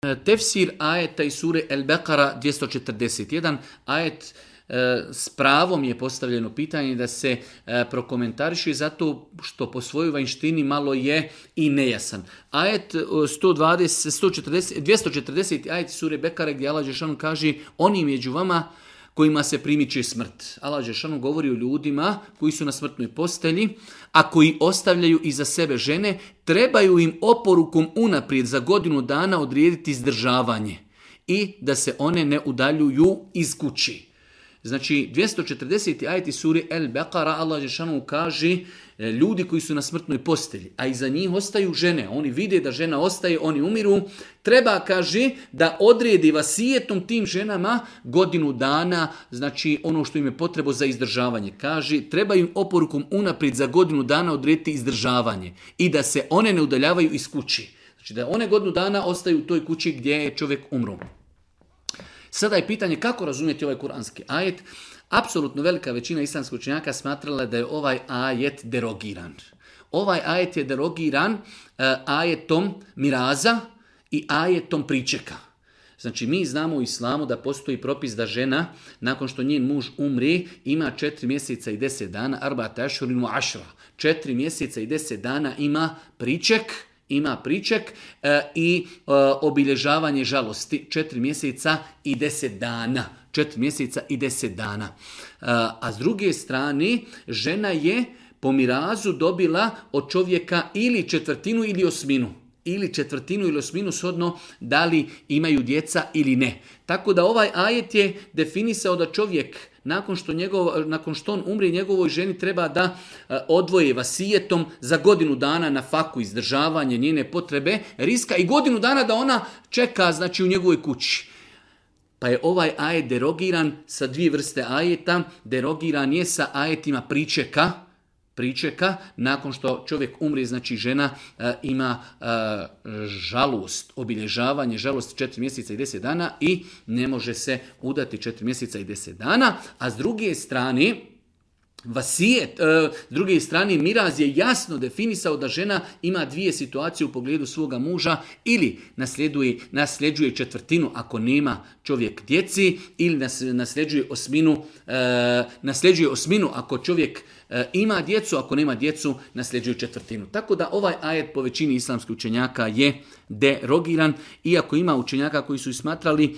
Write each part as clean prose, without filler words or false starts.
Tefsir ajeta iz sure El-Beqara 241. Ajet s pravom je postavljeno pitanje da se prokomentariše zato što po svojoj vanjštini malo je i nejasan. Ajet 240. ajet sure Bekare gdje Allah dželešanu kaže oni među vama kojima se primiče smrt. Allah dželešanu govori o ljudima koji su na smrtnoj postelji, a koji ostavljaju iza sebe žene, trebaju im oporukom unaprijed za godinu dana odrediti izdržavanje i da se one ne udaljuju iz kući. Znači, 240. ajeti suri El-Beqara, Allah dželešanu kaže ljudi koji su na smrtnoj postelji, a iza njih ostaju žene. Oni vide da žena ostaje, oni umiru. Treba, kaže, da odredi vasijetom tim ženama godinu dana, znači ono što im je potrebo za izdržavanje. Kaže, treba im oporukom unaprijed za godinu dana odrediti izdržavanje i da se one ne udaljavaju iz kući. Znači, da one godinu dana ostaju u toj kući gdje je čovjek umro. Sada je pitanje kako razumjeti ovaj kuranski ajet. Apsolutno velika većina islamskih učenjaka smatrala da je ovaj ajet derogiran. Ovaj ajet je derogiran ajetom miraza i ajetom pričeka. Znači mi znamo u islamu da postoji propis da žena nakon što njen muž umri ima 4 mjeseca i 10 dana, arba'ata ašhurin wa ašra. 4 mjeseca i 10 dana ima priček i obilježavanje žalosti 4 mjeseca i 10 dana. 4 mjeseca i 10 dana. A s druge strane, žena je po mirazu dobila od čovjeka ili četvrtinu ili osminu. Ili četvrtinu ili osminu shodno da li imaju djeca ili ne. Tako da ovaj ajet je definisao da čovjek nakon što on umre njegovoj ženi treba da odvoje vasijetom za godinu dana na faku izdržavanje njene potrebe, riska i godinu dana da ona čeka znači u njegovoj kući. Pa je ovaj ajet derogiran sa 2 vrste ajeta. Derogiran je sa ajetima pričeka, nakon što čovjek umre, znači žena ima žalost, obilježavanje žalosti 4 mjeseca i 10 dana i ne može se udati 4 mjeseca i 10 dana, a s druge strane vasijet, s druge strane miraz je jasno definisao da žena ima 2 situacije u pogledu svoga muža, ili nasljeđuje četvrtinu ako nema čovjek djeci, ili nasljeđuje osminu ako čovjek ima djecu, ako nema djecu nasljeđuje četvrtinu. Tako da ovaj ajet po većini islamskih učenjaka je derogiran, iako ima učenjaka koji su ismatrali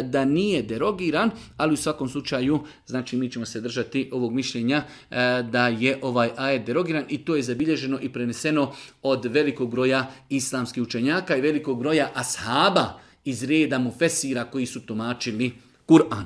da nije derogiran, ali u svakom slučaju znači mi ćemo se držati ovog mišljenja da je ovaj ajet derogiran i to je zabilježeno i preneseno od velikog broja islamskih učenjaka i velikog broja ashaba iz reda mufesira koji su tumačili Kur'an.